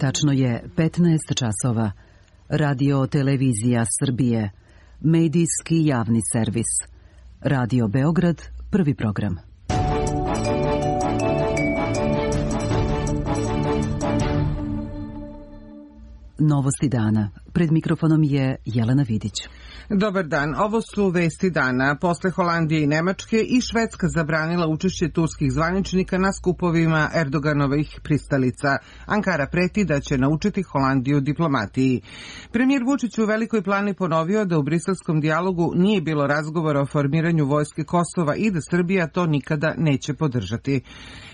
Tačno je 15 časova. Radio Televizija Srbije. Medijski javni servis. Radio Beograd, prvi program. Novosti dana. Pred mikrofonom je Jelena Vidić. Dobar dan, ovo su vesti dana. Posle Holandije i Nemačke i Švedska zabranila učešće turskih zvaničnika na skupovima Erdoganovih pristalica. Ankara preti da će naučiti Holandiju diplomatiji. Premijer Vučić u Velikoj Plani ponovio da u briselskom dijalogu nije bilo razgovora o formiranju vojske Kosova i da Srbija to nikada neće podržati.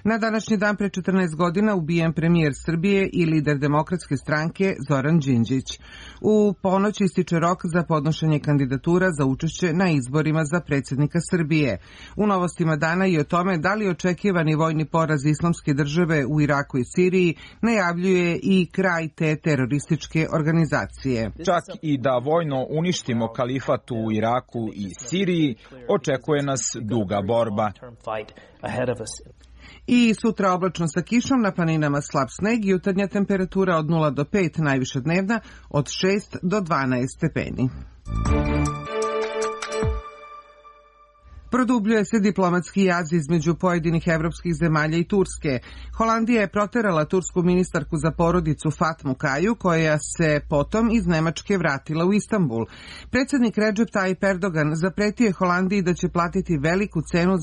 Na današnji dan pre 14 godina ubijen premijer Srbije i lider Demokratske stranke Zoran Đinđić. U ponoć ističe rok za podnošenje kandidatura za učešće na izborima za predsjednika Srbije. U novostima dana i o tome da li očekivani vojni poraz Islamske države u Iraku i Siriji najavljuje i kraj te terorističke organizacije. Čak i da vojno uništimo kalifat u Iraku i Siriji, očekuje nas duga borba. I sutra oblačno sa kišom, na planinama slab sneg, jutarnja temperatura od 0 do 5, najviša dnevna od 6 do 12 stepeni. Produbljuje se diplomatski jaz između pojedinih evropskih zemalja i Turske. Holandija je proterala tursku ministarku za porodicu Fatmu Kaju, koja se potom iz Nemačke vratila u Istanbul. Predsjednik Recep Tayyip Erdogan zapretio je Holandiji da će platiti veliku cenu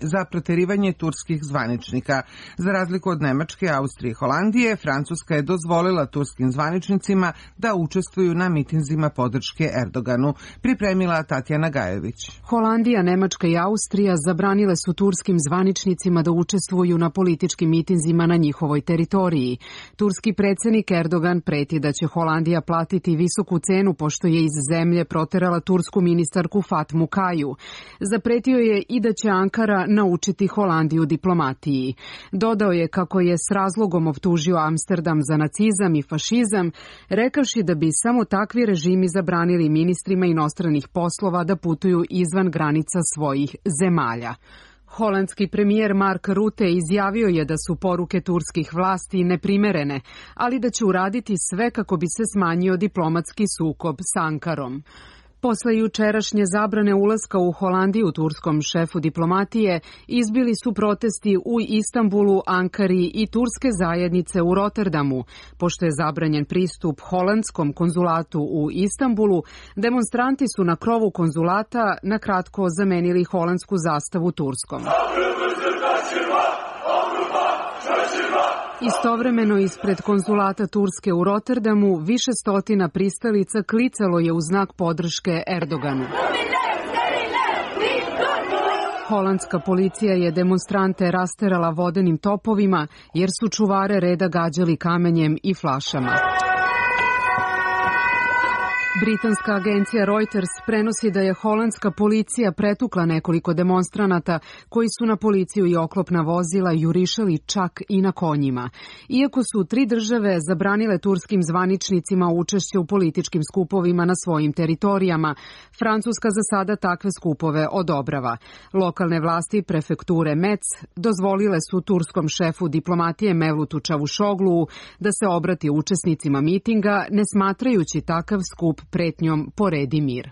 za proterivanje turskih zvaničnika. Za razliku od Nemačke, Austrije i Holandije, Francuska je dozvolila turskim zvaničnicima da učestvuju na mitinzima podrške Erdoganu. Pripremila Tatjana Gajović. Holandija, Nemačka i Austrija zabranile su turskim zvaničnicima da učestvuju na političkim mitinzima na njihovoj teritoriji. Turski predsjednik Erdogan preti da će Holandija platiti visoku cenu pošto je iz zemlje proterala tursku ministarku Fatmu Kaju. Zapretio je i da će Ankara naučiti Holandiju diplomatiji. Dodao je kako je s razlogom optužio Amsterdam za nacizam i fašizam, rekavši da bi samo takvi režimi zabranili ministrima inostranih poslova da putuju izvan granica svojih zemalja. Holandski premijer Mark Rutte izjavio je da su poruke turskih vlasti neprimerene, ali da će uraditi sve kako bi se smanjio diplomatski sukob s Ankarom. Posle jučerašnje zabrane ulaska u Holandiju turskom šefu diplomatije izbili su protesti u Istanbulu, Ankari i turske zajednice u Rotterdamu. Pošto je zabranjen pristup holandskom konzulatu u Istanbulu, demonstranti su na krovu konzulata na kratko zamenili holandsku zastavu turskom. Istovremeno ispred konzulata Turske u Rotterdamu više stotina pristalica klicalo je u znak podrške Erdoganu. Holandska policija je demonstrante rasterala vodenim topovima jer su čuvare reda gađali kamenjem i flašama. Britanska agencija Reuters prenosi da je holandska policija pretukla nekoliko demonstranata koji su na policiju i oklopna vozila jurišali čak i na konjima. Iako su 3 države zabranile turskim zvaničnicima učešće u političkim skupovima na svojim teritorijama, Francuska za sada takve skupove odobrava. Lokalne vlasti prefekture Metz dozvolile su turskom šefu diplomatije Mevlutu Čavuşoglu da se obrati učesnicima mitinga, ne smatrajući takav skup pretnjom poredi mir.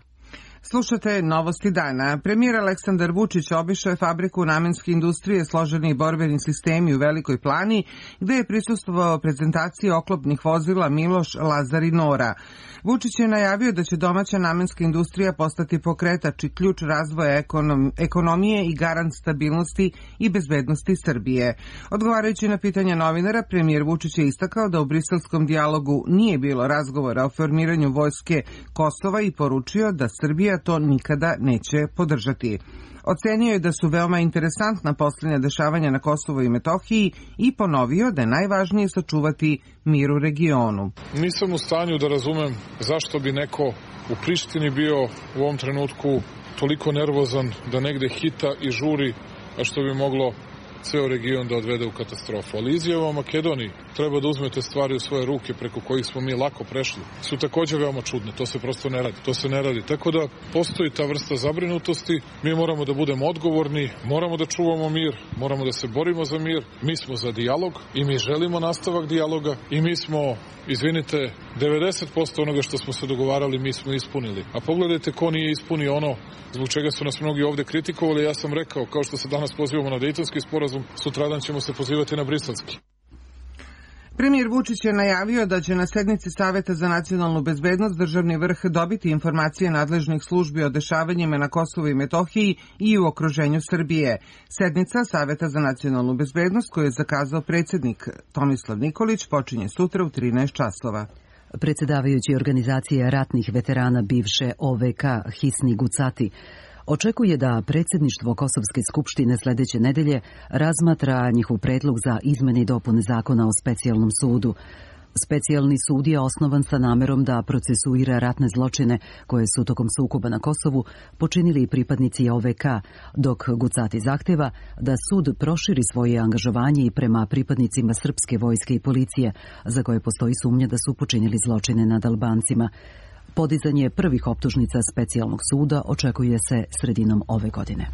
Slušate novosti dana. Premijer Aleksandar Vučić obišao je fabriku namenske industrije složeni borbeni sistemi u Velikoj Plani, gde je prisustvovao prezentaciji oklopnih vozila Miloš, Lazar i Nora. Vučić je najavio da će domaća namenska industrija postati pokretač i ključ razvoja ekonomije i garant stabilnosti i bezbednosti Srbije. Odgovarajući na pitanja novinara, premijer Vučić je istakao da u briselskom dijalogu nije bilo razgovora o formiranju vojske Kosova i poručio da Srbija to nikada neće podržati. Ocenio je da su veoma interesantna posljednja dešavanja na Kosovu i Metohiji i ponovio da je najvažnije sačuvati mir u regionu. Nisam u stanju da razumem zašto bi neko u Prištini bio u ovom trenutku toliko nervozan da negde hita i žuri, a što bi moglo ceo region da odvede u katastrofu. Ali izjava o Makedoniji treba da uzmete stvari u svoje ruke preko kojih smo mi lako prešli, su takođe veoma čudne. To se prosto ne radi. Tako da postoji ta vrsta zabrinutosti. Mi moramo da budemo odgovorni, moramo da čuvamo mir, moramo da se borimo za mir. Mi smo za dijalog i mi želimo nastavak dijaloga i mi smo, izvinite, 90% onoga što smo se dogovarali mi smo ispunili. A pogledajte ko nije ispunio ono zbog čega su nas mnogi ovde kritikovali. Ja sam rekao, kao što se danas pozivamo na Dejtonski sporazum, sutradan ćemo se pozivati na Briselski. Premijer Vučić je najavio da će na sednici Saveta za nacionalnu bezbednost državni vrh dobiti informacije nadležnih službi o dešavanjima na Kosovu i Metohiji i u okruženju Srbije. Sednica Saveta za nacionalnu bezbednost koju je zakazao predsjednik Tomislav Nikolić počinje sutra u 13 časova. Predsjedavajući organizacije ratnih veterana bivše OVK Hisni Gucati očekuje da predsjedništvo Kosovske skupštine sljedeće nedelje razmatra njihov predlog za izmene i dopune zakona o specijalnom sudu. Specijalni sud je osnovan sa namerom da procesuira ratne zločine koje su tokom sukoba na Kosovu počinili pripadnici OVK, dok Gucati zahteva da sud proširi svoje angažovanje i prema pripadnicima srpske vojske i policije, za koje postoji sumnja da su počinili zločine nad Albancima. Podizanje prvih optužnica specijalnog suda očekuje se sredinom ove godine.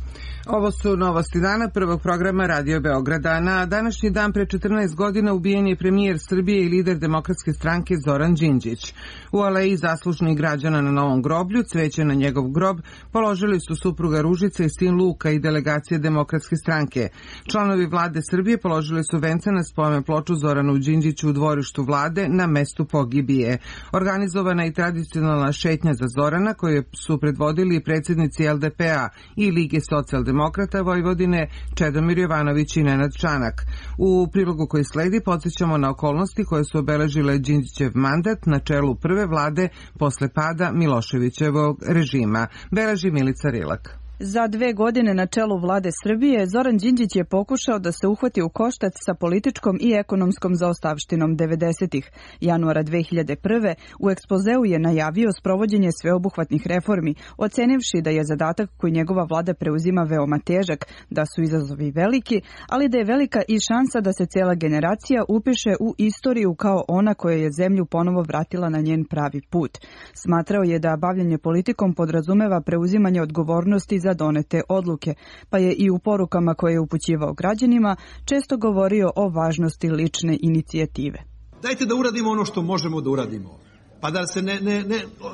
Ovo su novosti dana prvog programa Radio Beograda. Na današnji dan pre 14 godina ubijen je premijer Srbije i lider Demokratske stranke Zoran Đinđić. U aleji zaslužnih građana na Novom groblju cveće na njegov grob položili su supruga Ružica i sin Luka i delegacije Demokratske stranke. Članovi vlade Srbije položili su vence na spomen ploču Zoranu Đinđiću u dvorištu vlade na mestu pogibije. Organizovana i tradicionalna šetnja za Zorana koju su predvodili predsjednici LDP-a i Lige socijaldemokrata Vojvodine Čedomir Jovanović i Nenad Čanak. U prilogu koji sledi podsjećamo na okolnosti koje su obeležile Đinđićev mandat na čelu prve vlade posle pada Miloševićevog režima. Beleži Milica Rilak. Za 2 godine na čelu vlade Srbije, Zoran Đinđić je pokušao da se uhvati u koštac sa političkom i ekonomskom zaostavštinom 90-ih. Januara 2001. u ekspozeu je najavio sprovođenje sveobuhvatnih reformi, ocenivši da je zadatak koji njegova vlada preuzima veoma težak, da su izazovi veliki, ali da je velika i šansa da se cijela generacija upiše u istoriju kao ona koja je zemlju ponovo vratila na njen pravi put. Smatrao je da bavljenje politikom podrazumeva preuzimanje odgovornosti za donete odluke, pa je i u porukama koje je upućivao građanima često govorio o važnosti lične inicijative. Dajte da uradimo ono što možemo da uradimo, pa da se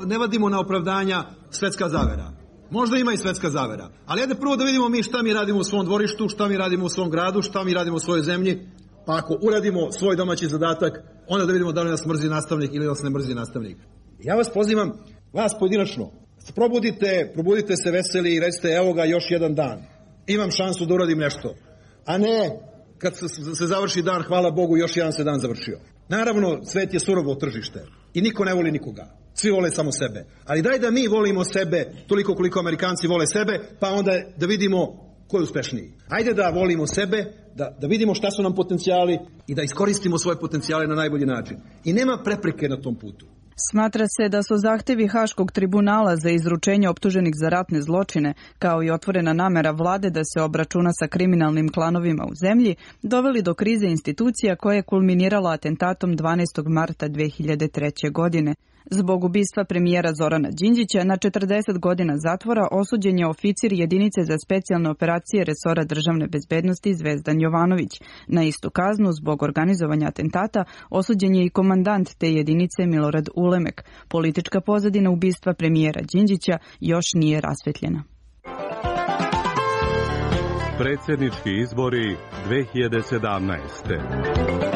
ne vadimo na opravdanja svetska zavera. Možda ima i svetska zavera, ali ajde prvo da vidimo mi šta mi radimo u svom dvorištu, šta mi radimo u svom gradu, šta mi radimo u svojoj zemlji, pa ako uradimo svoj domaći zadatak, onda da vidimo da li nas mrzi nastavnik ili nas ne mrzi nastavnik. Ja vas pozivam, vas pojedinačno, probudite se veseli i recite evo ga još jedan dan. Imam šansu da uradim nešto. A ne, kad se završi dan, hvala Bogu, još jedan se dan završio. Naravno, svet je surovo tržište i niko ne voli nikoga. Svi vole samo sebe. Ali daj da mi volimo sebe toliko koliko Amerikanci vole sebe, pa onda da vidimo ko je uspešniji. Ajde da volimo sebe, da vidimo šta su nam potencijali i da iskoristimo svoje potencijale na najbolji način. I nema prepreke na tom putu. Smatra se da su zahtevi Haškog tribunala za izručenje optuženih za ratne zločine, kao i otvorena namera vlade da se obračuna sa kriminalnim klanovima u zemlji, doveli do krize institucija koja je kulminirala atentatom 12. marta 2003. godine. Zbog ubistva premijera Zorana Đinđića na 40 godina zatvora osuđen je oficir jedinice za specijalne operacije resora državne bezbednosti Zvezdan Jovanović. Na istu kaznu zbog organizovanja atentata osuđen je i komandant te jedinice Milorad Ulemek. Politička pozadina ubistva premijera Đinđića još nije rasvetljena. Predsjednički izbori 2017.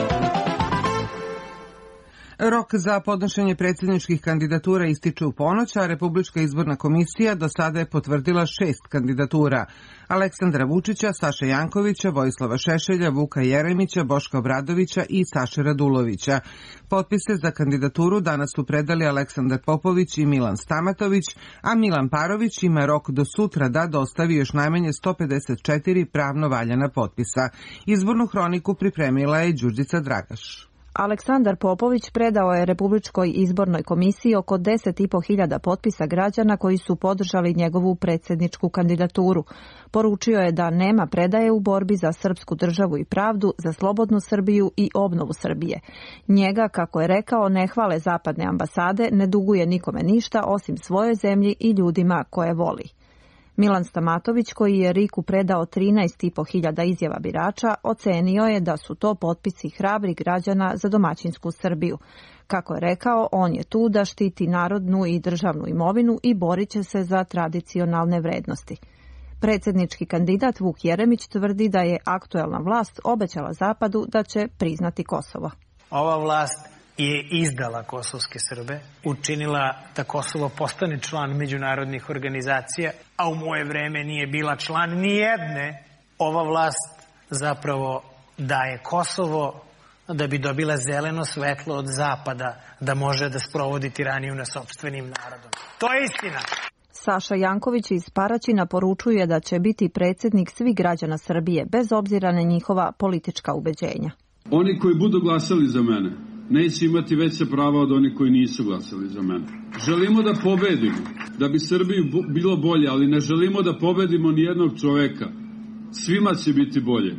Rok za podnošenje predsjedničkih kandidatura ističe u ponoć, a Republička izborna komisija do sada je potvrdila 6 kandidatura. Aleksandra Vučića, Saše Jankovića, Vojislava Šešelja, Vuka Jeremića, Boška Obradovića i Saše Radulovića. Potpise za kandidaturu danas su predali Aleksandar Popović i Milan Stamatović, a Milan Parović ima rok do sutra da dostavi još najmanje 154 pravno valjana potpisa. Izbornu hroniku pripremila je Đurđica Dragaš. Aleksandar Popović predao je Republičkoj izbornoj komisiji oko 10.500 potpisa građana koji su podržali njegovu predsjedničku kandidaturu. Poručio je da nema predaje u borbi za srpsku državu i pravdu, za slobodnu Srbiju i obnovu Srbije. Njega, kako je rekao, ne hvale zapadne ambasade, ne duguje nikome ništa osim svojoj zemlji i ljudima koje voli. Milan Stamatović, koji je RIK-u predao 13.500 izjava birača, ocenio je da su to potpisi hrabrih građana za domaćinsku Srbiju. Kako je rekao, on je tu da štiti narodnu i državnu imovinu i borit će se za tradicionalne vrednosti. Predsjednički kandidat Vuk Jeremić tvrdi da je aktuelna vlast obećala Zapadu da će priznati Kosovo. Ova vlast je izdala kosovske Srbe, učinila da Kosovo postane član međunarodnih organizacija, a u moje vreme nije bila član ni jedne. Ova vlast zapravo daje Kosovo da bi dobila zeleno svetlo od Zapada, da može da sprovodi tiraniju nad sopstvenim narodom. To je istina. Saša Janković iz Paraćina poručuje da će biti predsjednik svih građana Srbije, bez obzira na njihova politička ubeđenja. Oni koji budu glasali za mene neće imati veća prava od onih koji nisu glasali za mene. Želimo da pobedimo, da bi Srbiji bilo bolje, ali ne želimo da pobedimo ni jednog čoveka. Svima će biti bolje,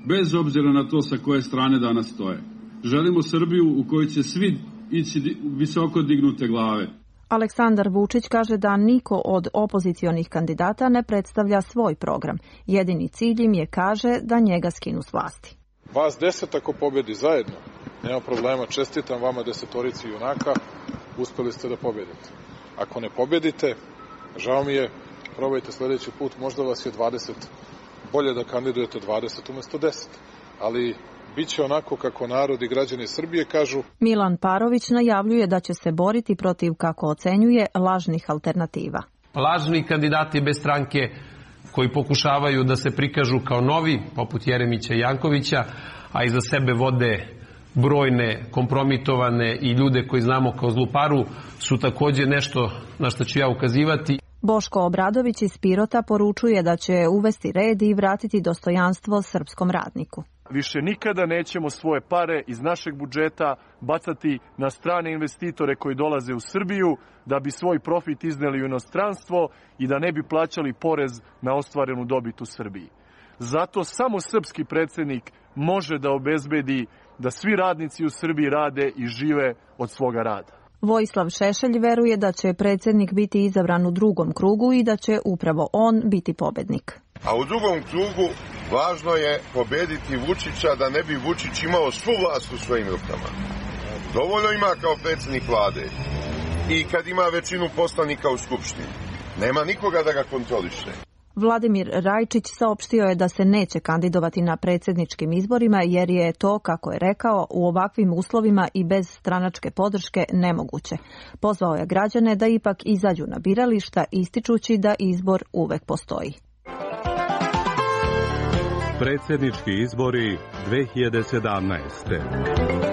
bez obzira na to sa koje strane danas stoje. Želimo Srbiju u kojoj će svi ići visoko dignute glave. Aleksandar Vučić kaže da niko od opozicionih kandidata ne predstavlja svoj program. Jedini cilj im je, kaže, da njega skinu s vlasti. Vas 10 ako pobedi zajedno, nema problema, čestitam vama 10 junaka, uspeli ste da pobedite. Ako ne pobedite, žao mi je, probajte sledeći put, možda vas je 20, bolje da kandidujete 20 umjesto 10, ali biće onako kako narod i građani Srbije kažu. Milan Parović najavljuje da će se boriti protiv, kako ocenjuje, lažnih alternativa. Lažni kandidati bez stranke koji pokušavaju da se prikažu kao novi, poput Jeremića i Jankovića, a iza sebe vode brojne kompromitovane i ljude koji znamo kao zluparu, su također nešto na što ću ja ukazivati. Boško Obradović iz Pirota poručuje da će uvesti red i vratiti dostojanstvo srpskom radniku. Više nikada nećemo svoje pare iz našeg budžeta bacati na strane investitore koji dolaze u Srbiju da bi svoj profit izneli u inostranstvo i da ne bi plaćali porez na ostvarenu dobit u Srbiji. Zato samo srpski predsjednik može da obezbedi da svi radnici u Srbiji rade i žive od svoga rada. Vojislav Šešelj veruje da će predsjednik biti izabran u drugom krugu i da će upravo on biti pobednik. A u drugom krugu važno je pobediti Vučića da ne bi Vučić imao svu vlast u svojim rukama. Dovoljno ima kao predsjednik vlade i kad ima većinu poslanika u Skupštini. Nema nikoga da ga kontroliše. Vladimir Rajčić saopštio je da se neće kandidovati na predsjedničkim izborima jer je to, kako je rekao, u ovakvim uslovima i bez stranačke podrške nemoguće. Pozvao je građane da ipak izađu na birališta, ističući da izbor uvek postoji. Predsjednički izbori 2017.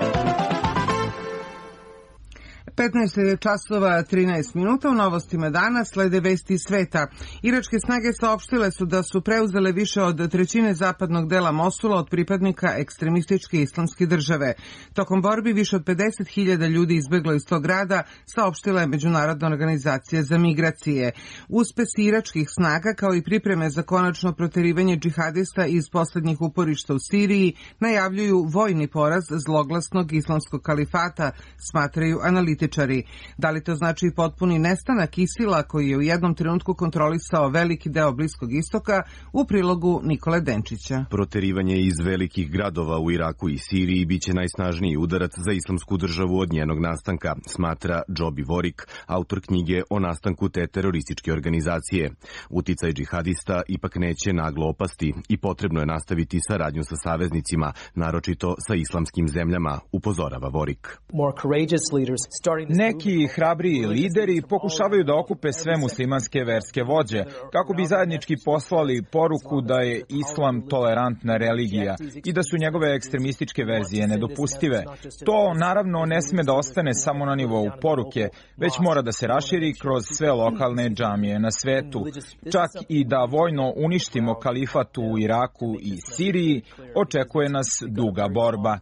15 časova 13 minuta. U novostima dana slede vesti iz sveta. Iračke snage saopštile su da su preuzele više od trećine zapadnog dela Mosula od pripadnika ekstremističke islamske države. Tokom borbi više od 50.000 ljudi izbeglo iz tog grada, saopštila je Međunarodna organizacija za migracije. Uspesi iračkih snaga, kao i pripreme za konačno proterivanje džihadista iz poslednjih uporišta u Siriji, najavljuju vojni poraz zloglasnog islamskog kalifata, smatraju analitičari. Da li to znači potpuni nestanak ISIL-a koji je u jednom trenutku kontrolisao veliki deo Bliskog istoka, u prilogu Nikole Denčića. Proterivanje iz velikih gradova u Iraku i Siriji biće najsnažniji udarac za islamsku državu od njenog nastanka, smatra Džobi Vorik, autor knjige o nastanku te terorističke organizacije. Uticaj džihadista ipak neće naglo opasti i potrebno je nastaviti saradnju sa saveznicima, naročito sa islamskim zemljama, upozorava Vorik. Neki hrabriji lideri pokušavaju da okupe sve muslimanske verske vođe, kako bi zajednički poslali poruku da je islam tolerantna religija i da su njegove ekstremističke verzije nedopustive. To naravno ne sme da ostane samo na nivou poruke, već mora da se raširi kroz sve lokalne džamije na svetu. Čak i da vojno uništimo kalifat u Iraku i Siriji, očekuje nas duga borba.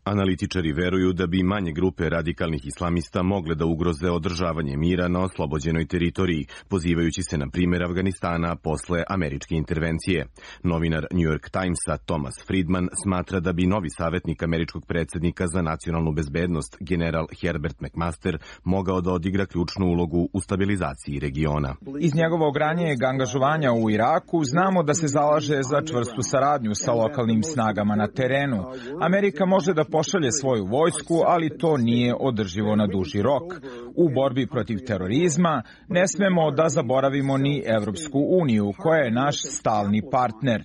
Analitičari veruju da bi manje grupe radikalnih islamista mogle da ugroze održavanje mira na oslobođenoj teritoriji, pozivajući se na primjer Afganistana posle američke intervencije. Novinar New York Timesa Thomas Friedman smatra da bi novi savjetnik američkog predsjednika za nacionalnu bezbednost, general Herbert McMaster, mogao da odigra ključnu ulogu u stabilizaciji regiona. Iz njegovog ranijeg angažovanja u Iraku znamo da se zalaže za čvrstu saradnju sa lokalnim snagama na terenu. Amerika može da pošalje svoju vojsku, ali to nije održivo na duži rok. U borbi protiv terorizma ne smemo da zaboravimo ni Evropsku uniju, koja je naš stalni partner.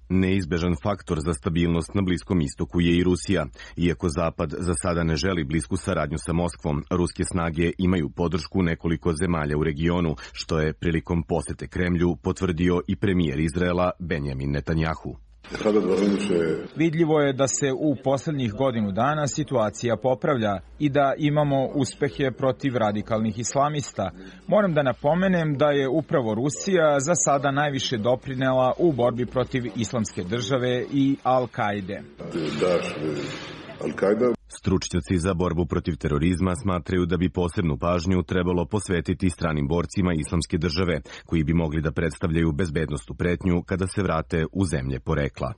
Neizbežan faktor za stabilnost na Bliskom istoku je i Rusija. Iako Zapad za sada ne želi blisku saradnju sa Moskvom, ruske snage imaju podršku nekoliko zemalja u regionu, što je prilikom posete Kremlju potvrdio i premijer Izraela Benjamin Netanjahu. Vidljivo je da se u poslednjih godinu dana situacija popravlja i da imamo uspehe protiv radikalnih islamista. Moram da napomenem da je upravo Rusija za sada najviše doprinela u borbi protiv Islamske države i Al-Kaide. Stručnjaci za borbu protiv terorizma smatraju da bi posebnu pažnju trebalo posvetiti stranim borcima Islamske države, koji bi mogli da predstavljaju bezbednosnu pretnju kada se vrate u zemlje porekla.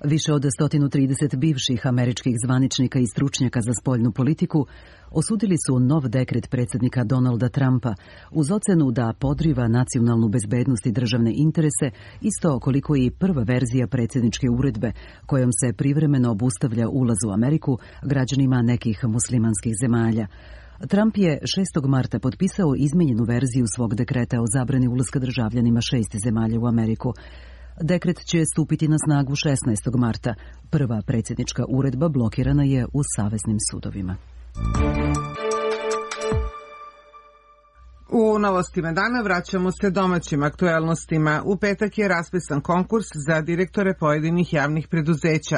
Više od 130 bivših američkih zvaničnika i stručnjaka za spoljnu politiku osudili su nov dekret predsjednika Donalda Trumpa uz ocenu da podriva nacionalnu bezbednost i državne interese, isto koliko i prva verzija predsjedničke uredbe kojom se privremeno obustavlja ulaz u Ameriku građanima nekih muslimanskih zemalja. Trump je 6. marta potpisao izmenjenu verziju svog dekreta o zabrani ulaska državljanima 6 zemalja u Ameriku. Dekret će stupiti na snagu 16. marta. Prva predsjednička uredba blokirana je u saveznim sudovima. U novostima dana vraćamo se domaćim aktuelnostima. U petak je raspisan konkurs za direktore pojedinih javnih preduzeća.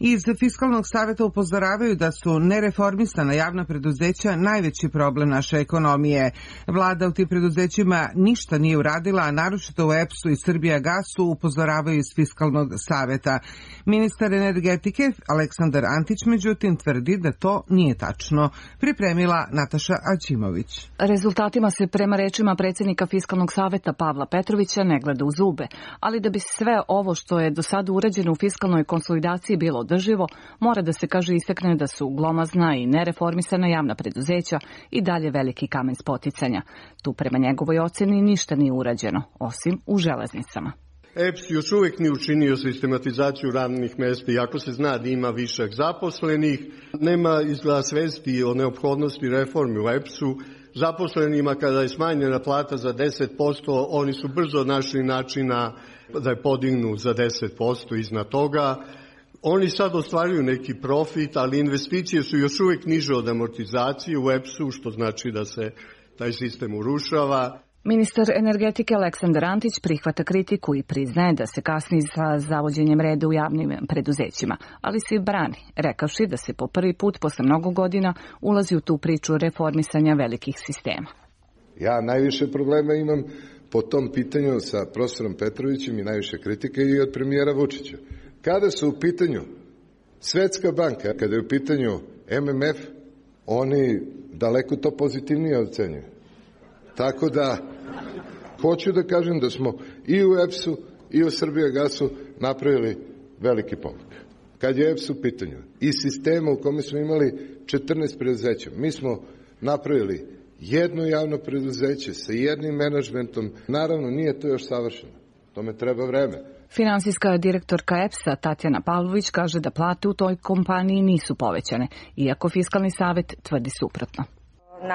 Iz Fiskalnog saveta upozoravaju da su nereformisana javna preduzeća najveći problem naše ekonomije. Vlada u tim preduzećima ništa nije uradila, a naročito u EPS-u i Srbijagasu upozoravaju iz Fiskalnog saveta. Ministar energetike Aleksandar Antić međutim tvrdi da to nije tačno. Pripremila Nataša Aćimović. Rezultatima se prema rečima predsjednika Fiskalnog saveta Pavla Petrovića ne gleda u zube, ali da bi sve ovo što je do sada urađeno u fiskalnoj konsolidaciji bilo održivo, mora da se kaže istakne da su glomazna i nereformisana javna preduzeća i dalje veliki kamen spoticanja. Tu prema njegovoj ocjeni ništa nije urađeno, osim u železnicama. EPS još uvijek nije učinio sistematizaciju radnih mjesta, iako se zna da ima višak zaposlenih, nema izgleda svesti o neophodnosti reformi u EPS-u. Zaposlenima kada je smanjena plata za 10%, oni su brzo našli načina da je podignu za 10% iznad toga. Oni sad ostvaruju neki profit, ali investicije su još uvijek niže od amortizacije u EPS-u, što znači da se taj sistem urušava. Ministar energetike Aleksandar Antić prihvata kritiku i priznaje da se kasni sa zavođenjem reda u javnim preduzećima, ali se brani, rekavši da se po prvi put posle mnogo godina ulazi u tu priču reformisanja velikih sistema. Ja najviše problema imam po tom pitanju sa profesorom Petrovićem i najviše kritike i od premijera Vučića. Kada su u pitanju Svetska banka, kada je u pitanju MMF, oni daleko to pozitivnije ocenjuju. Tako da, hoću da kažem da smo i u EPS-u i u Srbijagasu napravili veliki pomak. Kad je EPS u pitanju i sistema u kome smo imali 14 preduzeća, mi smo napravili jedno javno preduzeće sa jednim menadžmentom. Naravno, nije to još savršeno. Tome treba vreme. Finansijska direktorka EPS-a Tatjana Pavlović kaže da plate u toj kompaniji nisu povećane, iako Fiskalni savet tvrdi suprotno.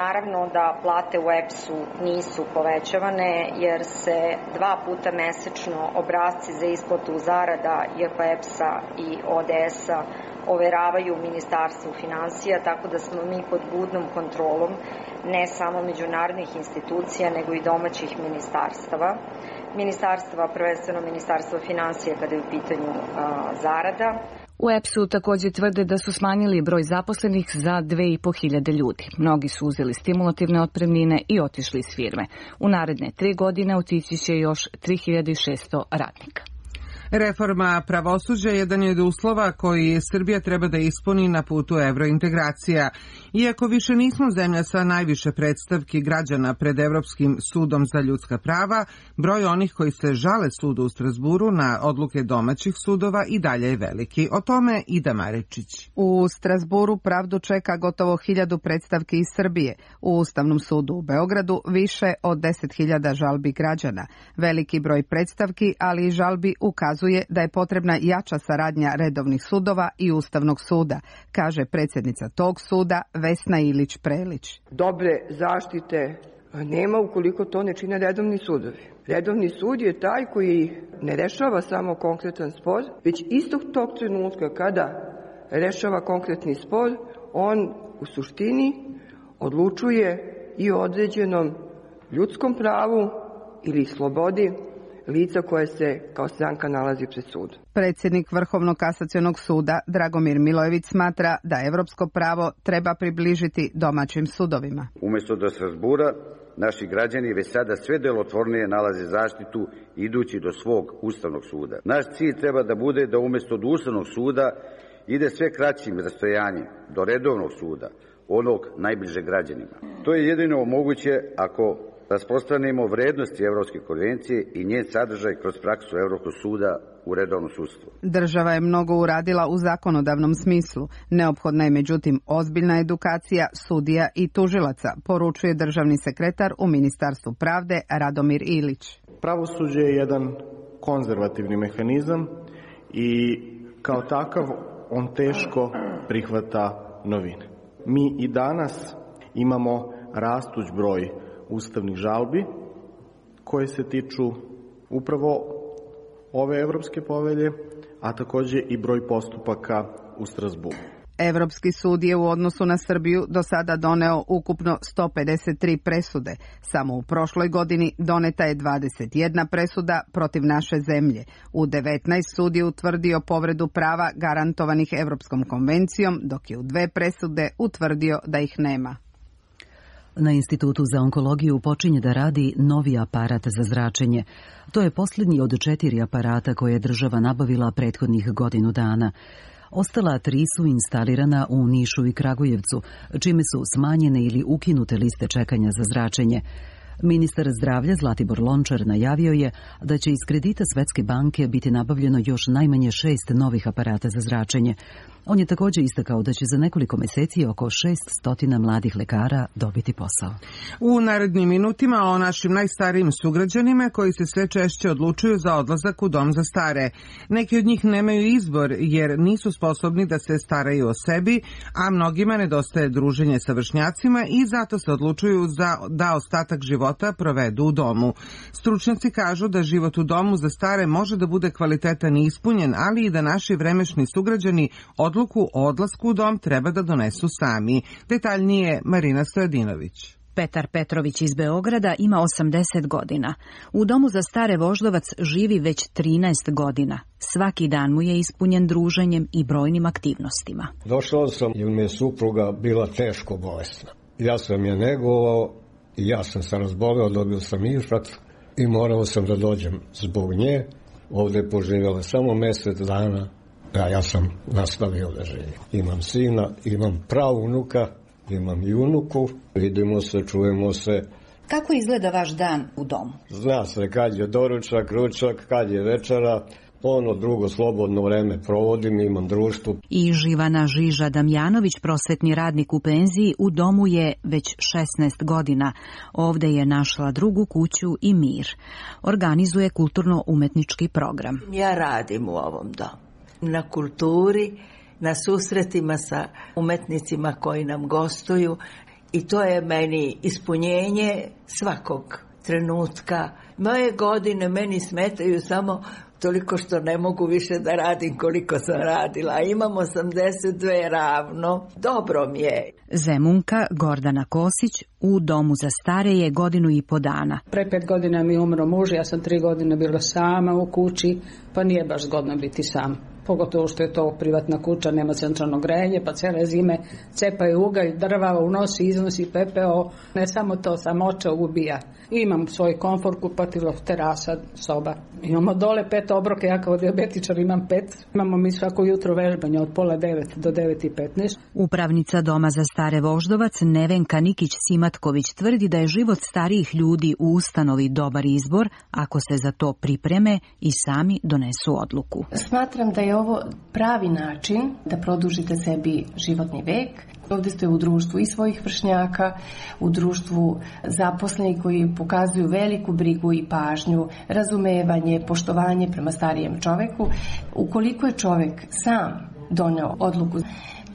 Naravno da plate u EPS-u nisu povećavane jer se 2 puta mesečno obrasci za isplatu zarada JP EPS-a i ODS-a overavaju u Ministarstvu finansija, tako da smo mi pod budnom kontrolom ne samo međunarodnih institucija, nego i domaćih ministarstava, prvenstveno Ministarstva finansija kada je u pitanju zarada. U EPS-u također tvrde da su smanjili broj zaposlenih za 2.500 ljudi. Mnogi su uzeli stimulativne otpremnine i otišli iz firme. U naredne 3 godine otići će još 3.600 radnika. Reforma pravosuđa jedan je od uslova koji Srbija treba da ispuni na putu evrointegracija. Iako više nismo zemlja sa najviše predstavki građana pred Evropskim sudom za ljudska prava, broj onih koji se žale sudu u Strazburu na odluke domaćih sudova i dalje je veliki. O tome Ida Marečić. U Strazburu pravdu čeka gotovo 1000 predstavki iz Srbije. U Ustavnom sudu u Beogradu više od 10.000 žalbi građana. Veliki broj predstavki, ali i žalbi ukazuje da je potrebna jača saradnja redovnih sudova i Ustavnog suda, kaže predsjednica tog suda Vesna Ilić-Prelić. Dobre zaštite nema ukoliko to ne čine redovni sudovi. Redovni sud je taj koji ne rešava samo konkretan spor, već istog tog trenutka kada rešava konkretni spor, on u suštini odlučuje i o određenom ljudskom pravu ili slobodi lica koje se kao stranka nalazi pred sudom. Predsjednik Vrhovnog kasacionog suda Dragomir Milojević smatra da evropsko pravo treba približiti domaćim sudovima. Umjesto do Strazbura, naši građani već sada sve delotvornije nalaze zaštitu idući do svog Ustavnog suda. Naš cilj treba da bude da umjesto do Ustavnog suda ide sve kraćim rastojanjem do redovnog suda, onog najbliže građanima. To je jedino moguće ako rasprostranimo vrednosti Evropske konvencije i njen sadržaj kroz praksu Evropskog suda u redovnom sudstvu. Država je mnogo uradila u zakonodavnom smislu. Neophodna je međutim ozbiljna edukacija sudija i tužilaca, poručuje državni sekretar u Ministarstvu pravde Radomir Ilić. Pravosuđe je jedan konzervativni mehanizam i kao takav on teško prihvata novine. Mi i danas imamo rastuć broj ustavnih žalbi koje se tiču upravo ove Evropske povelje, a također i broj postupaka u Strazburu. Evropski sud je u odnosu na Srbiju do sada doneo ukupno 153 presude. Samo u prošloj godini doneta je 21 presuda protiv naše zemlje. U 19 sud je utvrdio povredu prava garantovanih Evropskom konvencijom, dok je u 2 presude utvrdio da ih nema. Na Institutu za onkologiju počinje da radi novi aparat za zračenje. To je posljednji od 4 aparata koje je država nabavila prethodnih godinu dana. Ostala 3 su instalirana u Nišu i Kragujevcu, čime su smanjene ili ukinute liste čekanja za zračenje. Ministar zdravlja Zlatibor Lončar najavio je da će iz kredita Svetske banke biti nabavljeno još najmanje 6 novih aparata za zračenje. On je također istakao da će za nekoliko mjeseci oko 600 mladih lekara dobiti posao. U narednim minutima o našim najstarijim sugrađanima koji se sve češće odlučuju za odlazak u dom za stare. Neki od njih nemaju izbor jer nisu sposobni da se staraju o sebi, a mnogima nedostaje druženje sa vršnjacima i zato se odlučuju da ostatak života provedu u domu. Stručnjaci kažu da život u domu za stare može da bude kvalitetan i ispunjen, ali i da naši vremešni sugrađani odluku o odlasku u dom treba da donesu sami. Detaljnije Marina Stojadinović. Petar Petrović iz Beograda ima 80 godina. U domu za stare Voždovac živi već 13 godina. Svaki dan mu je ispunjen druženjem i brojnim aktivnostima. Došao sam jer mi je supruga bila teško bolesna. Ja sam je negovao i ja sam se razboleo, dobio sam infarkt i morao sam da dođem zbog nje. Ovdje je poživjela samo mjesec dana. Ja sam nastavio da živim. Imam sina, imam pravunuka, imam i unuku. Vidimo se, čujemo se. Kako izgleda vaš dan u domu? Zna se kad je doručak, ručak, kad je večera. Ono drugo slobodno vreme provodim, imam društvo. I Živana Žiža Damjanović, prosvetni radnik u penziji, u domu je već 16 godina. Ovdje je našla drugu kuću i mir. Organizuje kulturno-umetnički program. Ja radim u ovom domu. Na kulturi, na susretima sa umetnicima koji nam gostuju i to je meni ispunjenje svakog trenutka. Moje godine meni smetaju samo toliko što ne mogu više da radim koliko sam radila. Imam 82 ravno. Dobro mi je. Zemunka Gordana Kosić u domu za stare je 1,5 godina. Pre 5 godina mi umro muž, ja sam 3 godine bila sama u kući, pa nije baš zgodno biti sam. Pogotovo što je to privatna kuća, nema centralno grejanje, pa cele zime cepaju ugalj, drva, unosi, iznosi pepeo. Ne samo to, samoća ubija. Imam svoj komfor, kupatilo, terasa, soba. Imamo dole 5 obroke, ja kao dijabetičar imam 5. Imamo mi svako jutro vežbanje od 8:30 do 9:15. Upravnica Doma za stare Voždovac Nevenka Nikić-Simatković tvrdi da je život starijih ljudi u ustanovi dobar izbor ako se za to pripreme i sami donesu odluku. Smatram da je ovo pravi način da produžite sebi životni vek. Ovdje ste u društvu i svojih vršnjaka, u društvu zaposlenih koji pokazuju veliku brigu i pažnju, razumevanje, poštovanje prema starijem čoveku. Ukoliko je čovek sam doneo odluku,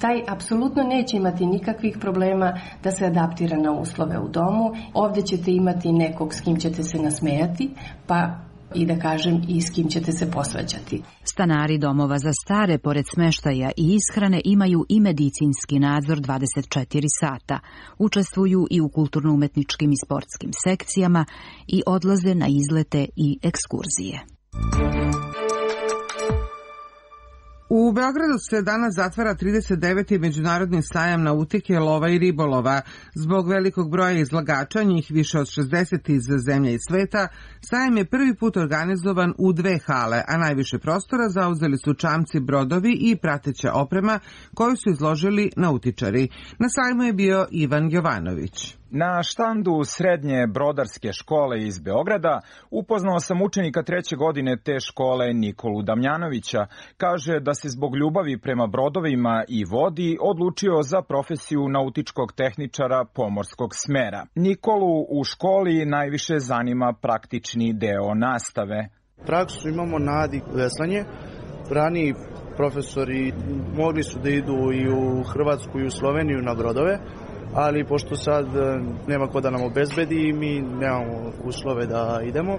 taj apsolutno neće imati nikakvih problema da se adaptira na uslove u domu. Ovdje ćete imati nekog s kim ćete se nasmejati, pa i da kažem i s kim ćete se posvađati. Stanari domova za stare, pored smeštaja i ishrane, imaju i medicinski nadzor 24 sata. Učestvuju i u kulturno-umetničkim i sportskim sekcijama i odlaze na izlete i ekskurzije. U Beogradu se danas zatvara 39. međunarodni sajam nautike, lova i ribolova. Zbog velikog broja izlagača, njih više od 60 iz zemlje i sveta, sajam je prvi put organizovan u 2 hale, a najviše prostora zauzeli su čamci, brodovi i prateća oprema koju su izložili nautičari. Na sajmu je bio Ivan Jovanović. Na štandu srednje brodarske škole iz Beograda upoznao sam učenika 3. godine te škole Nikolu Damjanovića. Kaže da se zbog ljubavi prema brodovima i vodi odlučio za profesiju nautičkog tehničara pomorskog smera. Nikolu u školi najviše zanima praktični deo nastave. Praksu imamo na Adi veslanje. Raniji profesori mogli su da idu i u Hrvatsku i u Sloveniju na brodove, ali pošto sad nema ko da nam obezbedi, mi nemamo uslove da idemo.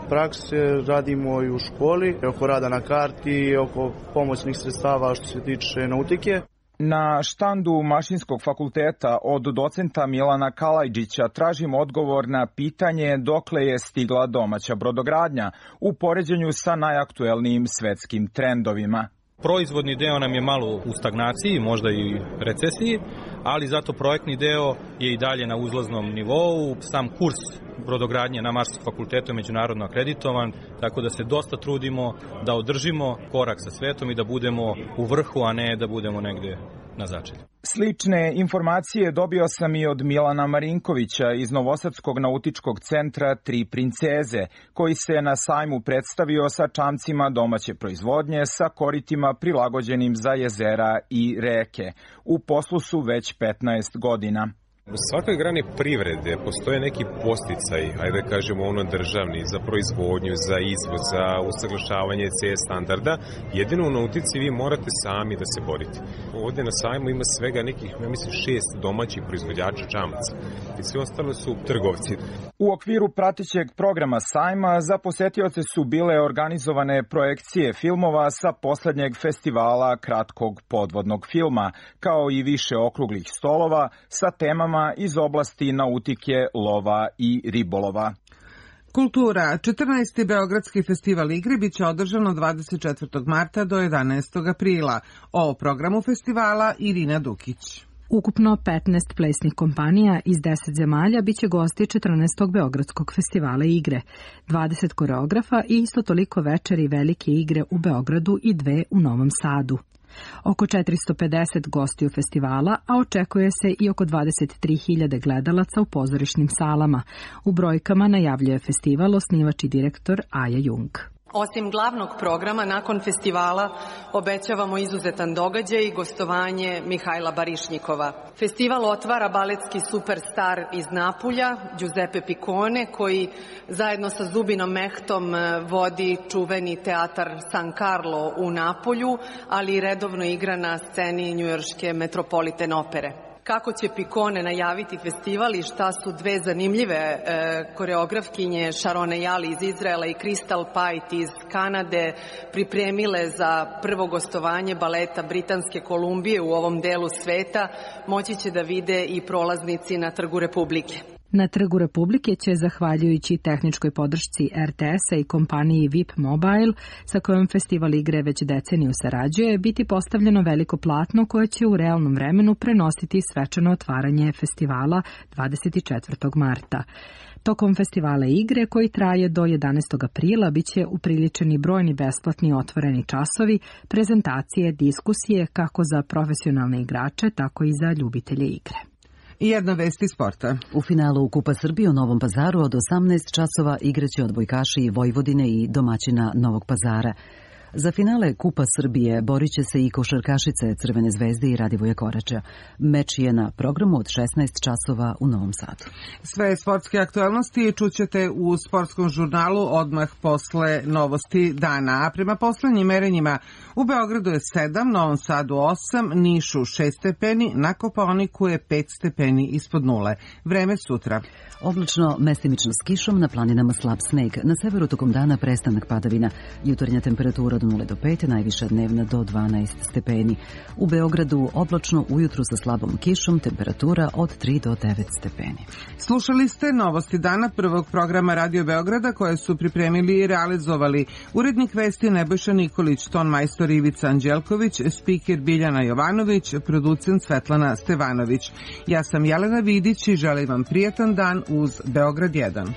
Prakse radimo i u školi, oko rada na karti, oko pomoćnih sredstava što se tiče nautike. Na štandu Mašinskog fakulteta od docenta Milana Kalajđića tražim odgovor na pitanje dokle je stigla domaća brodogradnja u poređenju sa najaktuelnijim svetskim trendovima. Proizvodni deo nam je malo u stagnaciji, možda i recesiji, ali zato projektni deo je i dalje na uzlaznom nivou. Sam kurs brodogradnje na Mašinskog fakultetu je međunarodno akreditovan, tako da se dosta trudimo da održimo korak sa svetom i da budemo u vrhu, a ne da budemo negde na začelju. Slične informacije dobio sam i od Milana Marinkovića iz Novosadskog nautičkog centra Tri princeze, koji se na sajmu predstavio sa čamcima domaće proizvodnje sa koritima prilagođenim za jezera i reke. U poslu su već 15 godina. U svakoj grani privrede postoje neki podsticaj, ajde da kažemo državni, za proizvodnju, za izvoz, za usaglašavanje CE standarda. Jedino u nautici vi morate sami da se borite. Ovdje na sajmu ima svega nekih, ja mislim, 6 domaćih proizvođača čamaca i svi ostalo su trgovci. U okviru pratećeg programa sajma za posetioce su bile organizovane projekcije filmova sa poslednjeg festivala kratkog podvodnog filma, kao i više okruglih stolova sa temama iz oblasti nautike, lova i ribolova. Kultura. 14. Beogradski festival igre biće održano 24. marta do 11. aprila. O programu festivala Irina Dukić. Ukupno 15 plesnih kompanija iz 10 zemalja biće gosti 14. Beogradskog festivala igre, 20 koreografa i isto toliko večeri velike igre u Beogradu i 2 u Novom Sadu. Oko 450 gostiju festivala, a očekuje se i oko 23.000 gledalaca u pozorišnim salama. U brojkama najavljuje festival osnivač i direktor Aja Jung. Osim glavnog programa, nakon festivala obećavamo izuzetan događaj i gostovanje Mihajla Barišnikova. Festival otvara baletski superstar iz Napulja, Giuseppe Piccone, koji zajedno sa Zubinom Mehtom vodi čuveni teatar San Carlo u Napolju, ali i redovno igra na sceni njujorške Metropolitan opere. kako će Pikone najaviti festival i šta su dve zanimljive koreografkinje Sharone Jali iz Izraela i Crystal Pite iz Kanade pripremile za prvo gostovanje baleta Britanske Kolumbije u ovom delu sveta, moći će da vide i prolaznici na Trgu Republike. Na Trgu Republike će, zahvaljujući tehničkoj podršci RTS-a i kompaniji VIP Mobile, sa kojom festival igre već deceniju sarađuje, biti postavljeno veliko platno koje će u realnom vremenu prenositi svečano otvaranje festivala 24. marta. Tokom festivala igre, koji traje do 11. aprila, biće upriličeni brojni besplatni otvoreni časovi, prezentacije, diskusije kako za profesionalne igrače, tako i za ljubitelje igre. I jedna vest iz sporta. U finalu Kupa Srbije u Novom Pazaru od 18 časova igraće odbojkaši Vojvodine i domaćina Novog Pazara. Za finale Kupa Srbije borit će se i košarkašice Crvene zvezde i Radivoja Korača. Meč je na programu od 16 časova u Novom Sadu. Sve sportske aktualnosti čućete u sportskom žurnalu odmah posle novosti dana. A prema poslednjim merenjima u Beogradu je 7, Novom Sadu 8, Nišu 6 stepeni, na Kopaoniku je 5 stepeni ispod nule. Vreme sutra. Oblačno, mestimično s kišom, na planinama slab sneg. Na severu tokom dana prestanak padavina. Jutarnja temperatura od 0 do 5, najviša dnevna do 12 stepeni. U Beogradu oblačno, ujutru sa slabom kišom, temperatura od 3 do 9 stepeni. Slušali ste novosti dana prvog programa Radio Beograda koje su pripremili i realizovali urednik vesti Nebojša Nikolić, ton majstor Ivica Anđelković, spiker Biljana Jovanović, producent Svetlana Stevanović. Ja sam Jelena Vidić i želim vam prijatan dan uz Beograd 1.